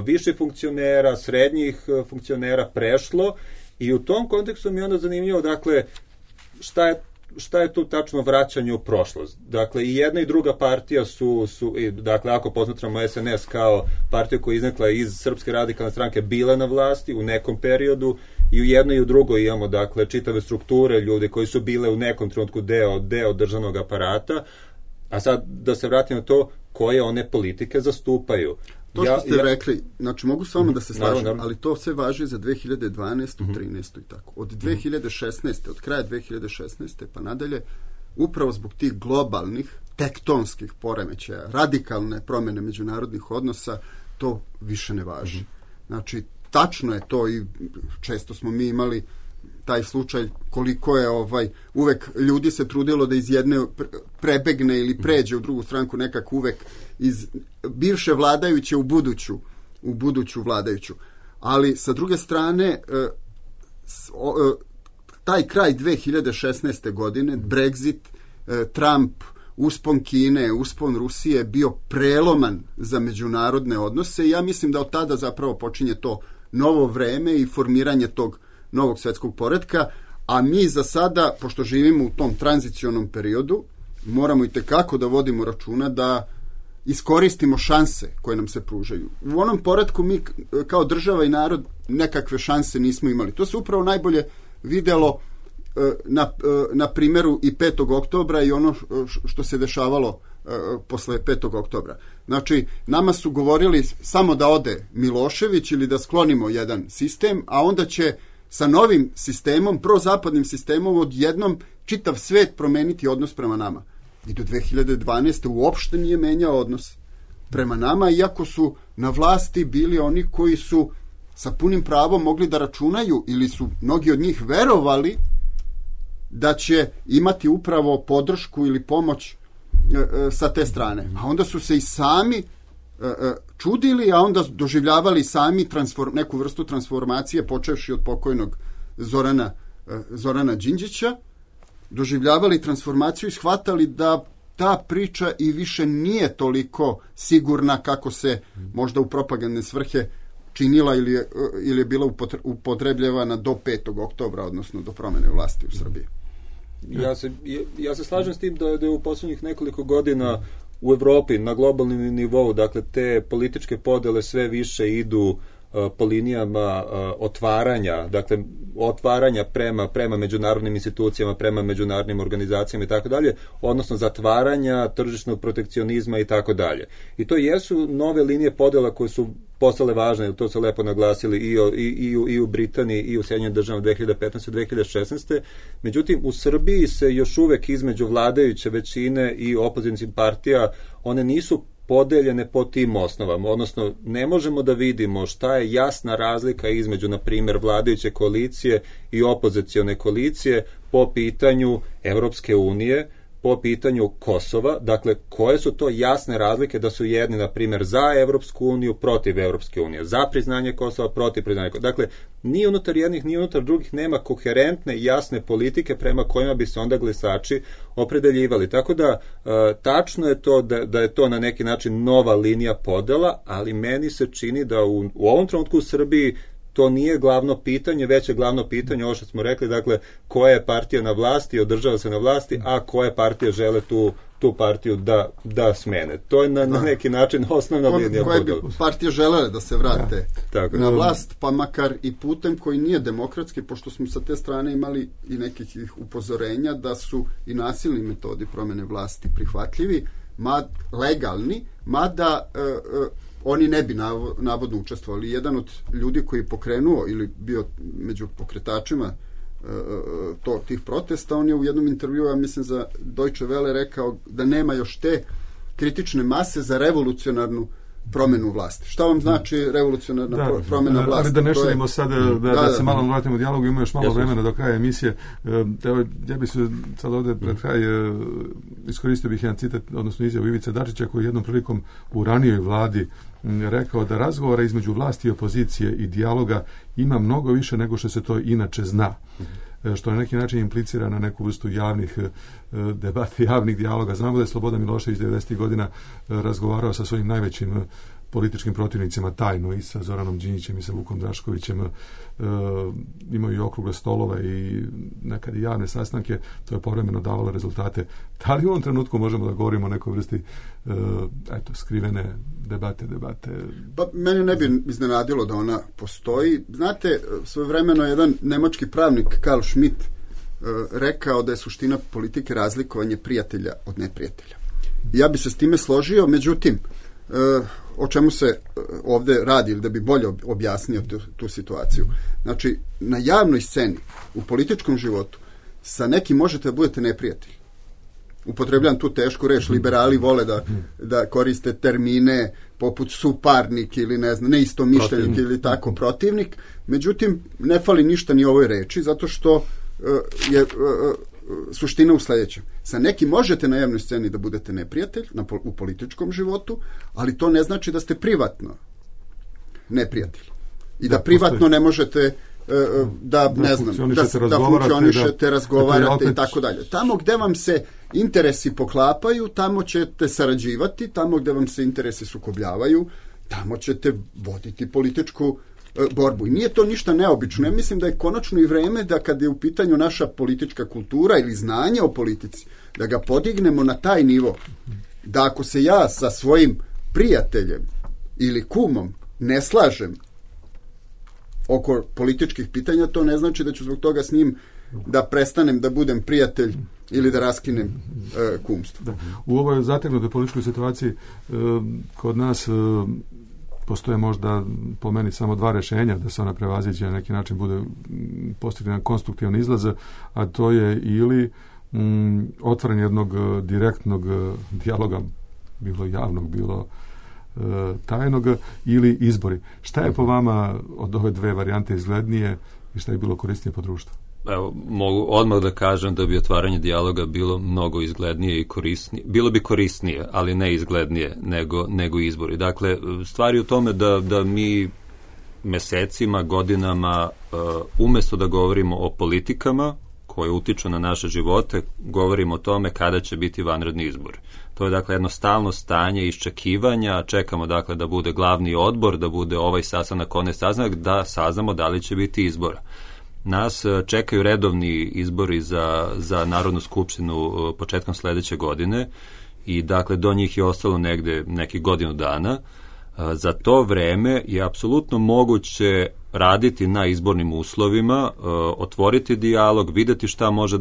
Speaker 4: viših funkcionera, srednjih funkcionera prešlo i u tom kontekstu mi je onda zanimljivo, dakle, šta je tu tačno vraćanje u prošlost. Dakle, i jedna i druga partija su dakle, ako posmatramo SNS kao partiju koja je iznekla iz Srpske radikalne stranke, bile na vlasti u nekom periodu i u jednoj i u drugoj imamo, dakle, čitave strukture ljudi koji su bile u nekom trenutku deo državnog aparata, a sad da se vratim na to koje one politike zastupaju.
Speaker 5: To što ste rekli, znači mogu s vama da se slažem, ali to sve važi za 2012. 13. i tako. Od 2016. od kraja 2016. pa nadalje, upravo zbog tih globalnih, tektonskih poremećaja, radikalne promjene međunarodnih odnosa, to više ne važi. Znači, tačno je to i često smo mi imali taj slučaj koliko je uvek ljudi se trudilo da iz jedne prebegne ili pređe u drugu stranku, nekako uvek iz bivše vladajuće u buduću vladajuću. Ali sa druge strane taj kraj 2016. godine, Brexit, Trump, uspon Kine, uspon Rusije bio preloman za međunarodne odnose i ja mislim da od tada zapravo počinje to novo vreme i formiranje tog novog svjetskog poretka, a mi za sada, pošto živimo u tom tranzicionom periodu, moramo i tekako da vodimo računa da iskoristimo šanse koje nam se pružaju. U onom poretku mi kao država i narod nekakve šanse nismo imali. To se upravo najbolje vidjelo na primjeru i 5. oktobra i ono što se dešavalo posle 5. oktobra. Znači, nama su govorili samo da ode Milošević ili da sklonimo jedan sistem, a onda će sa novim sistemom, prozapadnim sistemom, odjednom čitav svet promeniti odnos prema nama. I do 2012. uopšte nije menjao odnos prema nama, iako su na vlasti bili oni koji su sa punim pravom mogli da računaju ili su mnogi od njih verovali da će imati upravo podršku ili pomoć sa te strane. A onda su se i sami čudili, a onda doživljavali sami neku vrstu transformacije, počevši od pokojnog Zorana Đinđića, doživljavali transformaciju i shvatali da ta priča i više nije toliko sigurna kako se možda u propagandne svrhe činila ili je bila upotrebljavana do 5. oktobra, odnosno do promjene vlasti u Srbiji.
Speaker 4: Ja se slažem s tim da je u posljednjih nekoliko godina u Evropi na globalnom nivou, dakle, te političke podele sve više idu po linijama otvaranja, dakle, otvaranja prema međunarodnim institucijama, prema međunarodnim organizacijama i tako dalje, odnosno zatvaranja tržišnog protekcionizma i tako dalje. I to jesu nove linije podela koje su postale važne, to su lepo naglasili i u Britaniji i u Sjedinjenim državama 2015. 2016. Međutim, u Srbiji se još uvek između vladajuće većine i opozicijskih partija, one nisu podeljene po tim osnovama, odnosno ne možemo da vidimo šta je jasna razlika između, na primjer, vladajuće koalicije i opozicione koalicije po pitanju Evropske unije, po pitanju Kosova, dakle, koje su to jasne razlike da su jedni, na primjer, za Evropsku uniju, protiv Evropske unije, za priznanje Kosova, protiv priznanja Kosova. Dakle, ni unutar jednih, ni unutar drugih nema koherentne i jasne politike prema kojima bi se onda glasači opredeljivali. Tako da, tačno je to da je to na neki način nova linija podela, ali meni se čini da u ovom trenutku u Srbiji to nije glavno pitanje, već je glavno pitanje, ovo što smo rekli, dakle, koja je partija na vlasti, održava se na vlasti, a koje partije žele tu partiju da smene. To je na neki način osnovna linija podela.
Speaker 5: Koje bi partije želele da se vrate na vlast, pa makar i putem koji nije demokratski, pošto smo sa te strane imali i nekih upozorenja da su i nasilni metodi promjene vlasti prihvatljivi, legalni, mada oni ne bi navodno učestvovali. Jedan od ljudi koji je pokrenuo ili bio među pokretačima tih protesta, on je u jednom intervjuu, ja mislim za Deutsche Welle, rekao da nema još te kritične mase za revolucionarnu promenu vlasti. Šta vam znači revolucionarna promena vlasti?
Speaker 3: Ali da ne širimo sad, da se malo vratimo u dijalogu, ima još malo vremena do kraja emisije. Ja bih se sad ovdje pred kraj iskoristio bih jedan citat, odnosno izjavu Ivice Dačića, koji jednom prilikom u ranijoj vladi rekao da razgovora između vlasti i opozicije i dijaloga ima mnogo više nego što se to inače zna. Što na neki način implicira na neku vrstu javnih debata, javnih dijaloga. Znamo da je Slobodan Milošević 90. godina razgovarao sa svojim najvećim političkim protivnicima tajno, i sa Zoranom Đinđićem i sa Vukom Draškovićem, imaju i okrugle stolove i nekad i javne sastanke, to je povremeno davalo rezultate. Da li u ovom trenutku možemo da govorimo o nekoj vrsti skrivene debate?
Speaker 5: Pa mene ne bi iznenadilo da ona postoji. Znate, svojevremeno jedan nemački pravnik Karl Schmitt rekao da je suština politike razlikovanje prijatelja od neprijatelja. Ja bi se s time složio, međutim, o čemu se ovdje radi, ili da bi bolje objasnio tu situaciju. Znači, na javnoj sceni, u političkom životu, sa nekim možete da budete neprijatelji. Upotrebljam tu tešku reč, liberali vole da koriste termine poput suparnik ili neistomišljenik ili tako protivnik. Međutim, ne fali ništa ni ovoj reči, zato što je suština u sljedećem. Sa nekim možete na javnoj sceni da budete neprijatelj u političkom životu, ali to ne znači da ste privatno neprijatelj. I da privatno ne možete da funkcionišete, razgovarate i tako dalje. Tamo gde vam se interesi poklapaju, tamo ćete sarađivati, tamo gde vam se interesi sukobljavaju, tamo ćete voditi političku borbu. I nije to ništa neobično. Ja mislim da je konačno i vreme da kad je u pitanju naša politička kultura ili znanje o politici, da ga podignemo na taj nivo, da ako se ja sa svojim prijateljem ili kumom ne slažem oko političkih pitanja, to ne znači da ću zbog toga s njim da prestanem da budem prijatelj ili da raskinem kumstvo.
Speaker 3: Da. U ovoj zategnutoj političkoj situaciji kod nas postoje možda po meni samo dva rješenja da se ona prevaziđe, na neki način bude postignuti konstruktivan izlaz, a to je ili otvaranje jednog direktnog dijaloga, bilo javnog, bilo tajnog, ili izbori. Šta je po vama od ove dve varijante izglednije i šta je bilo korisnije po društvu?
Speaker 4: Evo, mogu odmah da kažem da bi otvaranje dijaloga bilo mnogo izglednije i korisnije. Bilo bi korisnije, ali ne izglednije nego izbori. Dakle, stvari u tome da mi mesecima, godinama, umjesto da govorimo o politikama koje utiču na naše živote, govorimo o tome kada će biti vanredni izbori. To je dakle jedno stalno stanje iščekivanja, čekamo dakle da bude glavni odbor, da bude ovaj sastanak, onaj sastanak, da saznamo da li će biti izbora. Nas čekaju redovni izbori za Narodnu skupštinu početkom sljedeće godine i dakle do njih je ostalo negde nekih godinu dana. Za to vreme je apsolutno moguće raditi na izbornim uslovima, otvoriti dijalog, vidjeti šta može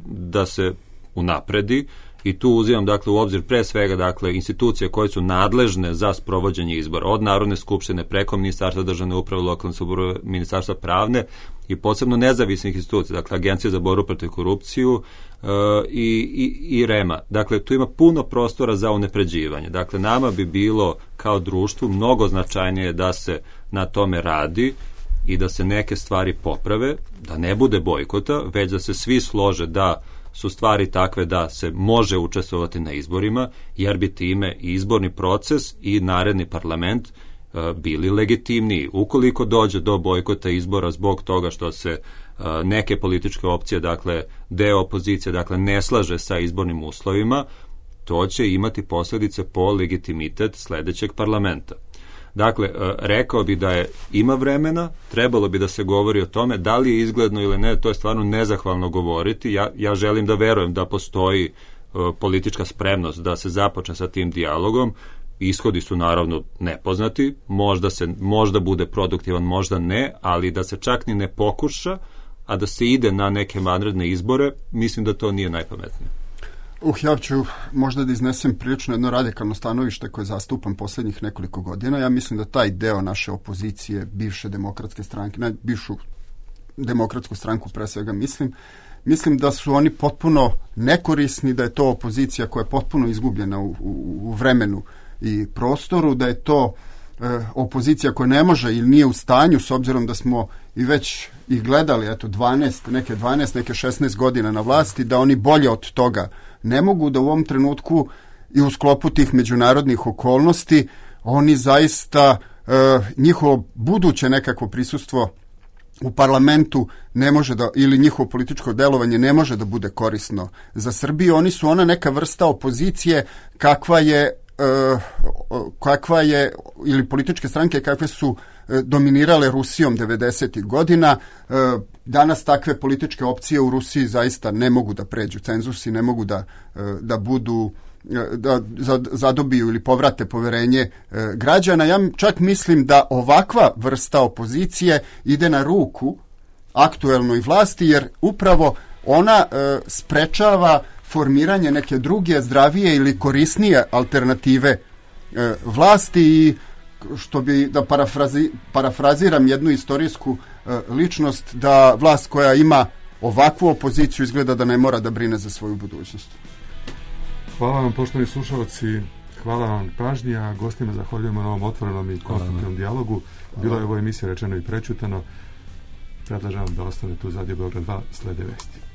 Speaker 4: da se unapredi i tu uzimam dakle u obzir pre svega dakle institucije koje su nadležne za sprovođenje izbora, od Narodne skupštine preko Ministarstva državne uprave, lokalne samouprave, Ministarstva pravne i posebno nezavisnih institucija, dakle Agencije za borbu protiv korupciju i REM-a. Dakle, tu ima puno prostora za unapređivanje. Dakle, nama bi bilo kao društvu mnogo značajnije da se na tome radi i da se neke stvari poprave, da ne bude bojkota, već da se svi slože da su stvari takve da se može učestvovati na izborima, jer bi time i izborni proces i naredni parlament bili legitimniji. Ukoliko dođe do bojkota izbora zbog toga što se neke političke opcije, dakle deo opozicije, dakle ne slaže sa izbornim uslovima, to će imati posljedice po legitimitet sljedećeg parlamenta. Dakle, rekao bi da ima vremena, trebalo bi da se govori o tome, da li je izgledno ili ne, to je stvarno nezahvalno govoriti. Ja želim da verujem da postoji politička spremnost da se započne sa tim dijalogom. Ishodi su naravno nepoznati, možda bude produktivan, možda ne, ali da se čak ni ne pokuša, a da se ide na neke vanredne izbore, mislim da to nije najpametnije.
Speaker 5: Ja ću možda da iznesem prilično jedno radikalno stanovište koje zastupam posljednjih nekoliko godina. Ja mislim da taj deo naše opozicije, bivše demokratske stranke, bivšu demokratsku stranku pre svega mislim, mislim da su oni potpuno nekorisni, da je to opozicija koja je potpuno izgubljena u vremenu i prostoru, da je to opozicija koja ne može ili nije u stanju, s obzirom da smo i već ih gledali, eto, 12, neke 16 godina na vlasti, da oni bolje od toga ne mogu, da u ovom trenutku i u sklopu tih međunarodnih okolnosti oni zaista, njihovo buduće nekakvo prisustvo u parlamentu ne može da, ili njihovo političko delovanje ne može da bude korisno za Srbiju. Oni su ona neka vrsta opozicije kakva je, ili političke stranke kakve su dominirale Rusijom 90. godina. Danas takve političke opcije u Rusiji zaista ne mogu da pređu cenzus i ne mogu da budu, da zadobiju ili povrate poverenje građana. Ja čak mislim da ovakva vrsta opozicije ide na ruku aktuelnoj vlasti, jer upravo ona sprečava formiranje neke druge, zdravije ili korisnije alternative vlasti i što bi, da parafraziram jednu istorijsku ličnost, da vlast koja ima ovakvu opoziciju izgleda da ne mora da brine za svoju budućnost.
Speaker 3: Hvala vam, poštovani slušalci, hvala vam pažnji, a gostima zahvaljujemo na ovom otvorenom i konstruktivnom dijalogu. Bilo je ovo emisija Rečeno i prećutano. Predlažem da ostane tu za Radio Beograd 2, slede vesti.